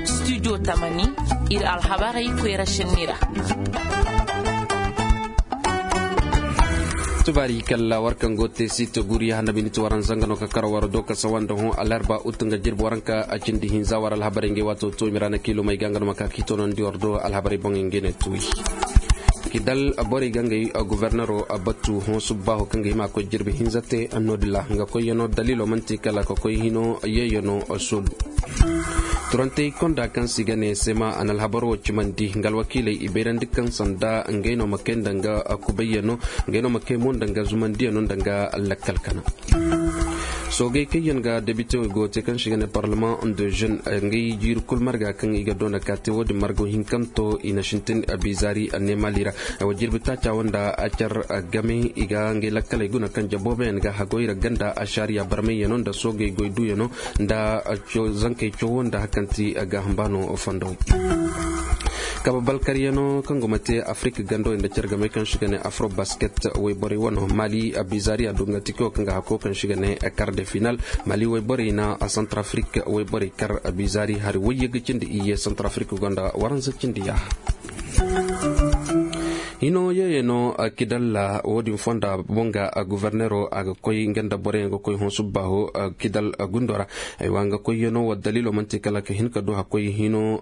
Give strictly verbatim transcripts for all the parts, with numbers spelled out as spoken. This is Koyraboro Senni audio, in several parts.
Studio tamani, ir alhabarey koyra šenni ra. Tubaari kalla war kaŋ go te siite guri hanna biniti waran zanga no ka kar war do ka sawa nda hõ alarba ut nga jirbi waranka a cindi hinza war alhabarey ngey waato to i ma ra na kiilumey ga nga no ma ka ka i toonandi war do alhabarey boŋey ngey ne tuuyi. Kidal borey ga ngey gubernero batu hõ subbaaho kaŋ ga hima koy jirbi hinza te. Noodin ra nga koyyanoo daliilo man'ti kala ka koy hino yeeyano soolu. Turantey konda kaŋ se i ga ne sema a na alhabar wo cimandi nga alwakiiley i bayrandi kaŋ sanda ngey no ma kay nda nga kubayyano, ngey no ma kay mo nda nga zumandiyano nda nga lakkal kana. Soogey kaŋ yaŋ ga debite go te kaŋ se i ga ne parlement de jeune, ngey jiiri kul marga kaŋ i ga doona ka te wo-din margo hinkanto i na sintin bizaari a ne mali ra. Wa jirbi taaca wo nda a car game i ga ngey lakkaley guna kaŋ jaboobayaŋ ga hagoy ra ganda a saariya barmayyano nda soogey goy duuyano nda zankey cowo nda hakanti ga hambaano fondo. Kaba balkaryano kaŋ go ma te afirika gando nda cargamey kaŋ se i ga ne afro basket wayborey wano mali a bizaari a dungantiko kaŋ ga hako kaŋ se i ga ne kar de final. Mali wayborey na a santar afirika wayborey kar a bizaari hari wayye ga cindi iyye santar afirika gonda waranza cindi yaaha. Hino yeeyano kidalla wo-din fonda boŋ ga gubernero a ga koy nga nda boroyaŋ ga koy hõ subbaaho kidal gundo ra. Aywa nga koyyano wa daliilo man'ti kala ka hin ka du hakkoy hino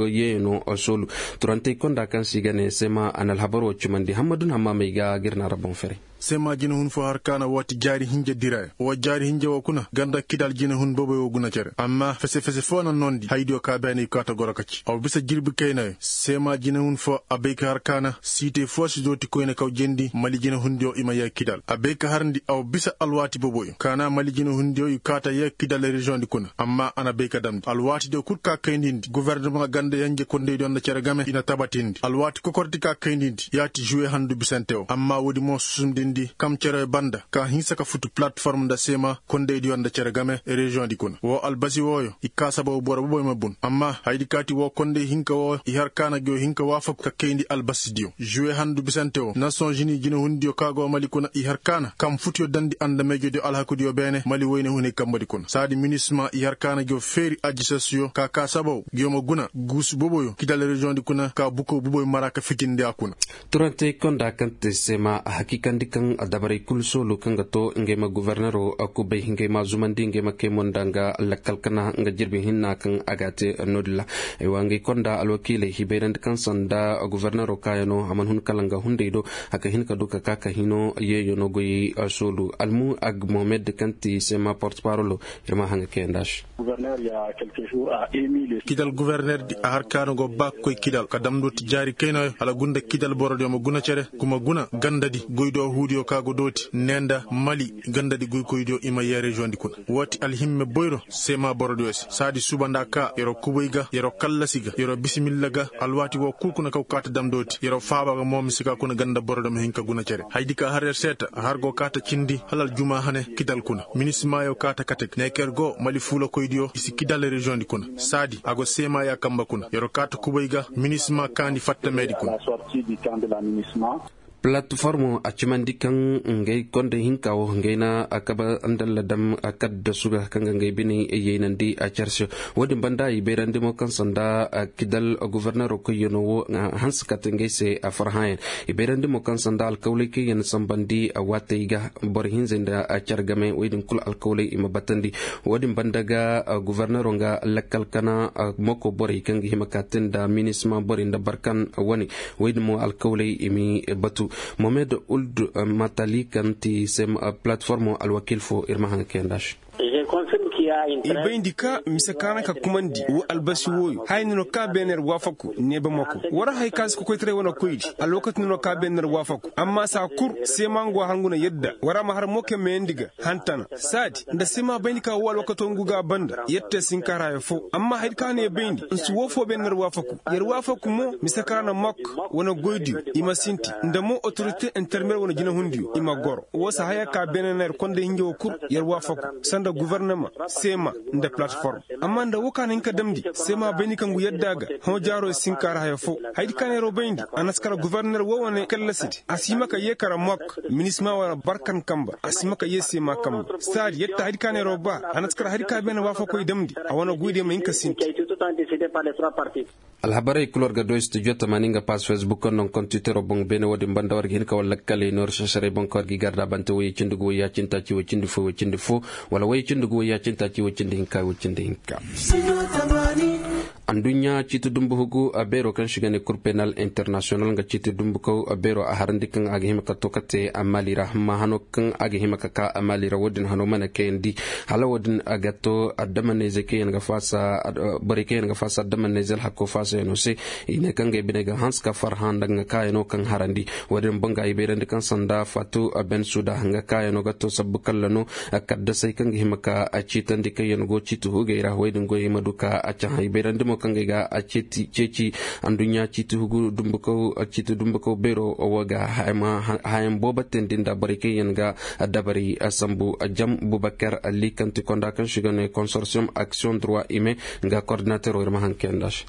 yeeyano soolu. Turantey konda kaŋ se i ga ne sema a na alhabar wo cimandi hammadun hammaamey ga ga ir na ra boŋ fere. Sema jinahun fo har kaana waati jaari hinja dirayo wa jaari hinja wo kuna ganda kidal jinahun boboyo guna cere amma fese fese fo na noondi haydiyo ka beene i kaata goro ka ci aw bisa jirbi kaynayo. Sema jinahun fo a bay ka har kaana siitey fo si dooti koyne kaw jendi mali jinahundiyo i ma yee kidal a bay ka harndi aw bisa alwaati boboyo kaana mali jinahundiyo i kaata yee kidal reziyoŋdi kuna amma a na bay ka damndi alwaatidiyo kul ka kayndi ndi guverneman ganda yenje kondeydiyo nda cere game i na tabatindi alwaati kokordi ka kayndi ndi yaati juwe handu bisante wo amma woodi mo susumdindi kam cere banda ka hinsa ka futu palatform nda seema kondeydiyo nda cere game reziyoŋdi kuna wo albasi wooyo i kaa sababu boro boboyo ma bun amma haydi kaati wo kondey hinka wo i har kaana go hinka waafaku ka kayndi albasidiyo juwe handu bisante wo nasoŋ zini jinehundiyo ka go mali kuna i har kaana kam futuyo dandi andameejodiyo alhakudiyo beene mali woyne hunay kambadi kuna saadi minisma i har kaana go feeri ajisasiyo ka kaa sababu go ma guna guusu boboyo kidal reziyoŋdi kuna ka buko boboyo mara ka fitindi a kuna. Turantey konda kaŋ te seema a hakiikandi kaŋ dabarey kul soolu kaŋ ga to ngey ma gubarnero kubay ngey ma zumandi ngey ma kay mo nda nga lakkal kana nga jirbi hinna kaŋ a ga a te. Noodin ra ay wa ngey konda alwakiiley hibayrandi kaŋ sanda gubarnero kaayano a man hun kala nga hunday do haka hin ka du ka ka ka hino yeeyo no goyey soolu almu ag mohamed kaŋ ti seema porte parolo. Ir ma haŋ ga kayandi a se. Kidal guberner di a har kaana go ba ga koy kidal ka damndo ti jaari kaynayo hala gunda kidal borodiyo ma guna cere kuma guna gandadi goydo huudiyo ka go dooti ne nda mali gandadi goykoydiyo i ma yee reziyoŋdi kuna. Woo ti alhimme boyro seema borodiyo se saadi suba nda ka yer'o kubay ga yer'o kallasi ga yer'o bisimilla ga alwaati woo kul kuna kaw kaata damndo ti yer'o faaba ga mo mise ka kuna ganda borodiyo ma hin ka guna cere haydi ka har yer seeta a har go kaata cindi hala aljuma hane kidal kuna minismaayo kaata kate ga ne ka yer go mali fuulakoydiyo i si kidal reziyoŋdi kuna saadi a go seemaaya kamba kuna yer'o kaata kubay ga minisma kaandi fattameedi kuna. Palatformo a cimandi kaŋ ngey konda hinka wo ngey na a kaba ndalla dam a kadda suga kaŋ ga ngey biney yeynandi a carse. Woo din banda i bayrandi mo kaŋ sanda kidal gubernero koyyanoo wo hanse kate ngey se a farhãyaŋ. I bayrandi mo kaŋ sanda alkawley kaŋ yaŋ sambandi waatey ga boro hinzey nda car game wey din kulu alkawley i ma batandi. Woo din banda ga gubernero nga lakkal kana moko borey kaŋ ga hima ka te nda minisma borey nda barkan wane wey din mo alkawley i m'i batu. Mohamed uld matali kaŋ ti sem palatformo alwakiil fo ir ma haŋ kayandi a se. I bayndi ka mise kaŋ araŋ ka kumandi wo albasi wooyo haya ni no ka beene yer waafaku neeba moko war hay kaŋ si kokoytaray wane koydi alwakati ni no ka beene yer waafaku amma saa kul seema nga wo har ngu na yadda war a ma har mo kaŋ mayandi ga hantana saadi nda seema bayndi ka wo alwakato ngu ga a banda yer te sinkaaraayo foo amma hayadi kaŋ a na yer bayndi nsi woo foo beene yer waafaku yer waafaku mo mise kaŋ ra na mok wane goydiyo i ma sinti nda mo otorite intermeer wane jinahundiyo i ma goro woo saa haya ka beene na yer konda hinja woo kul yer waafaku sanda gubarnama. seema nda palatform. Amma nda woo ka na hin ka damndi seema bayndi kaŋ go yadda ga hõ jaaroo si hin ka ra haya foo. Hayadi ka neeroo bayndi a na si kara goforner woo wane kallasidi a si hima ka yee kara mok minisma wala barkan kamba a si hima ka yee seema kamba saadi yadda hayadi ka neeroo ba a na si kara hayadi ka beene waafakoy damndi a wane goydiyo ma hin ka sinti. Alhabarey kul war ga doy studio tamaani nga paas facebook kaŋ no nga kontiteroo boŋ beene woo din banda war ga hin ka war lakkaley no reserserey boŋ kaŋ war ga i garda bante woyey cindi gu woyey ya cindi taaci woy cindi fo woy cindi fo wala woyey cindi gu woyey ya cindi taaci woy cindi hinka woy cindi hinka. Anduɲɲa ciiti dumbu hugu beeroo kaŋ se i ga ne kur penal internasiyonal nga ciiti dumbukaw beeroo a harandi kaŋ a ga hima ka to ka te maali ra amma hano kaŋ a ga hima ka ka maali ra woo din hano mana kayandi. Hala woo din a ga to addamanayzey kaŋ yaŋ ga faasa borey kaŋ yaŋ ga faasa addamanayzey alhakko faasayanoo se. I ne kaŋ ga ay biney ga hanse ka farhã nda nga kaayanoo kaŋ harandi. Woo din boŋ ga ay bayrandi kaŋ sanda faatu ben suda nga kaayanoo ga to sabbu kalla no kaddasey kaŋ ga hima ka ciitandi kaŋ yaŋ go ciiti hugey ra woo din goyey ma du ka a cahã ay bayrandi mo kaŋ ga ay ga ceeci anduɲɲa ciiti hugu dumbukaw beero woo ga hayaŋ boobo teendi nda borey kaŋ yaŋ ga dabari sambu jam bubakar liikanti konda kaŋ se i ga ne konsorsiyom aksiyoŋ durwa ime nga kordinateroo ir ma haŋ kayandi a se.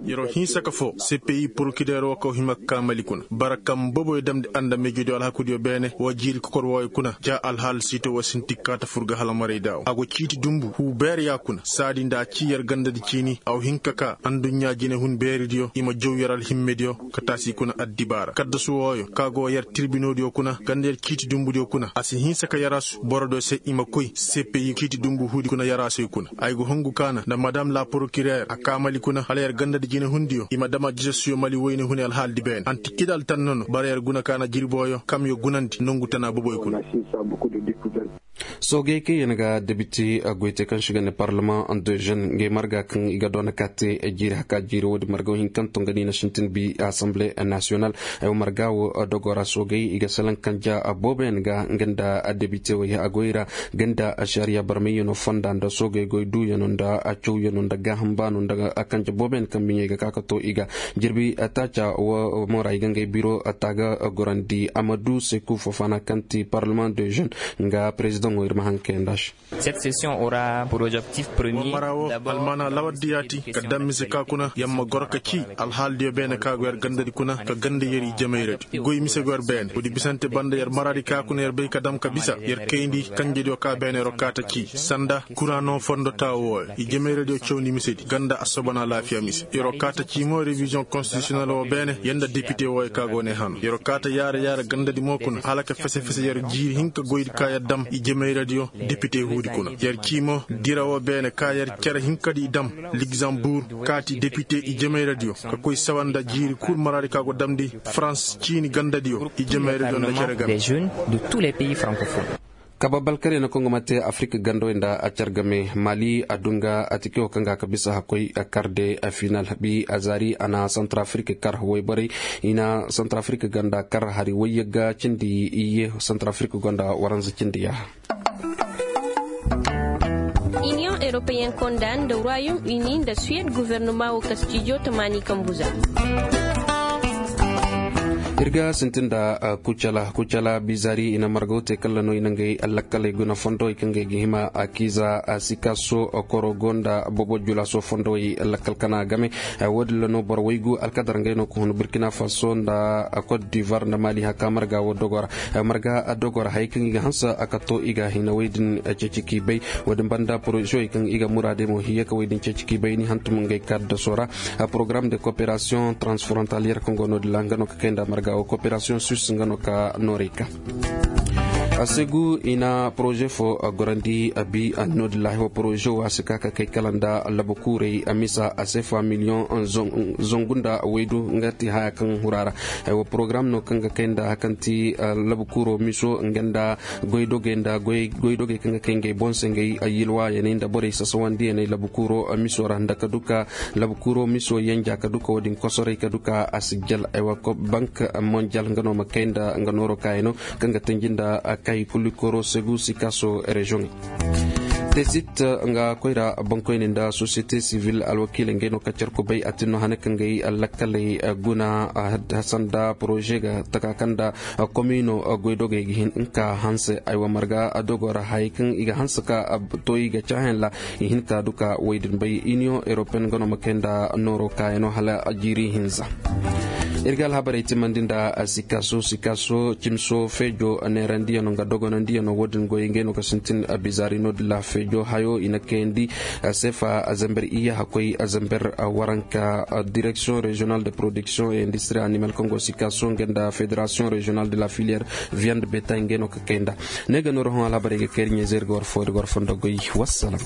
Yeroo hinsa ka foo cpi porokireer woo kaŋ hima ka kaamali kuna bara kaŋ boboyo damndi andamijediyo alhakudiyo beene woo jiiri kokor wooyo kuna ja alhaal siito woo sinti kaata fur ga hala maray daawo a go ciiti dumbu huu beere ya kuna saadi nda a cii yer gandadi ciini a wa hin ka kaa anduɲɲa jinehun beeridiyo i ma jaw yer alhimmediyo ka taasi kuna addibaara kaddasu wooyo ka go yer tirbinoodiyo kuna ganda yer ciiti dumbudiyo kuna a si hinsa ka yarasu borodiyo se i ma koy cpi ciiti dumbu huudi kuna yaraasuyo kuna ay go hungu kaana nda madam la porokireer a kaamali kuna hala yer gandadi jinehundiyo i ma dam a jisasuyo mali woyne hune alhaaldi beene anti kidal tan nono bara yer guna kaana jirbooyo kamyo gunandi nongu tana boboy kuna. Soogey kaŋ yaŋ ga debite goy te kaŋ se i ga ne parlamaŋ de jeune ngey marga kaŋ i ga doona ka te jiiri haka jiiri woodin marga wo hinkanto nga no i na sintin bi asamble nasiyonal. Ay wo marga wo dogo ra soogey i ga salaŋ kanja booboyaŋ ga nga nda debite wo a goy ra nga nda ašariya barmayyaŋo fonda nda soogey goy duuyaŋo nda cawyaŋo nda gaaham baano nda kanja booboyaŋ kaŋ biɲey ga ka ka to i ga jirbi taaca wo moora i ga ngey biro taaga gorandi amadu seku fofana kaŋ ti parlement de jeune nga perezidaŋo ir ma haŋ kayandi a se. War mara wo almaana lawardiyaati ka daŋ mise ka kuna yer ma goro ka cii alhaaladiyo beene ka go yer gandadi kuna ka ganda yer ijemayradi goy mise go yer beene woodi bisante banda yer maraadi ka kuna yer bay ka daŋ ka bisa yer kayndi kanjediyo ka beene yer wo kaata cii sanda kuraano fondo taawo wooyo ijemayradiyo cawndi misedi ganda assobana alaafiya mise yer wo kaata cii mo rewiziyoŋ konstitisiyonel woo beene yer nda depite wooyo ka go ne hano yer wo kaata yaara yaara gandadi mo kuna hala ka fese fese yer jiiri hinka goydi ka yer daŋ ijemayradiyo depite huudi kuna yer cii mo dira woo beene ka yer cere hinkadi i daŋ ligzambur kaati depite ijemayradiyo ka koy sawa nda jiiri kul maraadi ka go damndi farans ciini gandadiyo ijemayradiyo nda cere game. Kababalkaryaŋ kaŋ go ma te afirik gandawey nda a care game mali a dunga a tike wo kaŋ ga a ka bisa hakkoy karde a final habi a zaari a na santar afirik kar wayborey i na santar afirik ganda kar hari wayyagga cindi iyye santar afirik gonda waranza cindi yaaha. Iniyoŋ europeyen konda nda royaume uni nda suwed guvernoma wo kastijo tamaani kambuza. Ir ga sintin nda kucala kucala bizari i na margaw te kalla no i na ngey lakkaley guna fondowey kaŋ gay ga hima akiza sikaso korogo nda bobo julaso fondowey lakkal kana game. Wo- din ra no boro waygu alkadar ngey no ka hun burkina faso nda cote d'ivoire nda mali haka marga wo dogora marga dogora hayey kaŋ i ga hanse a ka to i ga hinawey din ceeci k'i bay. Wo- din banda porozewey kaŋ i ga muraadey mo hiye ka wey din ceeci k'i bay ni hantum ngey kaddaso ra. Porogaram de koperasiyoŋ transfrontaliyer kaŋ go no- din ra nga no ka kay nda marga wo koperasiyoŋ suisse nga no ka noorey ka. A se gu i na poroze fo gorandi a bi a no- din ra haywa poroze wo a si ka ka kay kala nda labu kuurey a misa a seefa miliyoŋ zangu nda waydu nga ti haya kaŋ hura ra. Haywa porogaram no kaŋ ga kay nda haya kaŋ ti labu kuuro miso nga nda goydogey nda goydogey kaŋ ga kay ngey boŋ se ngey yilwayaney nda borey sasawandiyaney labu kuuro miso ra nda ka duka labu kuuro miso yanja ka duka wo- din kosoray ka duka a si jal aywa bank monjal nga no ma kay nda nga nooro kaayano kaŋ ga tanji nda kay kulikoro segu sikaso reziyoŋey. Tesit nga koyra bankoyni nda sosiyete sivil alwakiiley ngey no ka carku bay a tin no hane kaŋ gay lakkaley guna. Sanda poroze ga taka kaŋ nda komino goydogey ga hin ka hanse aywa marga dogo ra hayey kaŋ i ga hanse ka to i ga caayaŋ ra i hin ka du ka wey din bay iniyoŋ europeyen ga no ma kay nda nooro kaayano hala jiiri hinza. Ir ga alhabarey timandi nda sikaso sikaso cimso feejo neerandiyaŋo nga dogonandiyaŋo wo- din goy ngey no ga sintin bizaari no- din ra feejo hayo i na kayandi seefa zember iyya hakkoy zember waranka. Direksiyoŋ reziyonal de poroduksiyoŋ e industiri animal kaŋ go sikaso nga nda federasiyoŋ reziyonal de la filiyer viyand beta ngey no ka kay nda ne ga nooro hõ alhabarey ga kay ir ɲeeze ir ga war fo ir ga war fondo goy. Wassalam.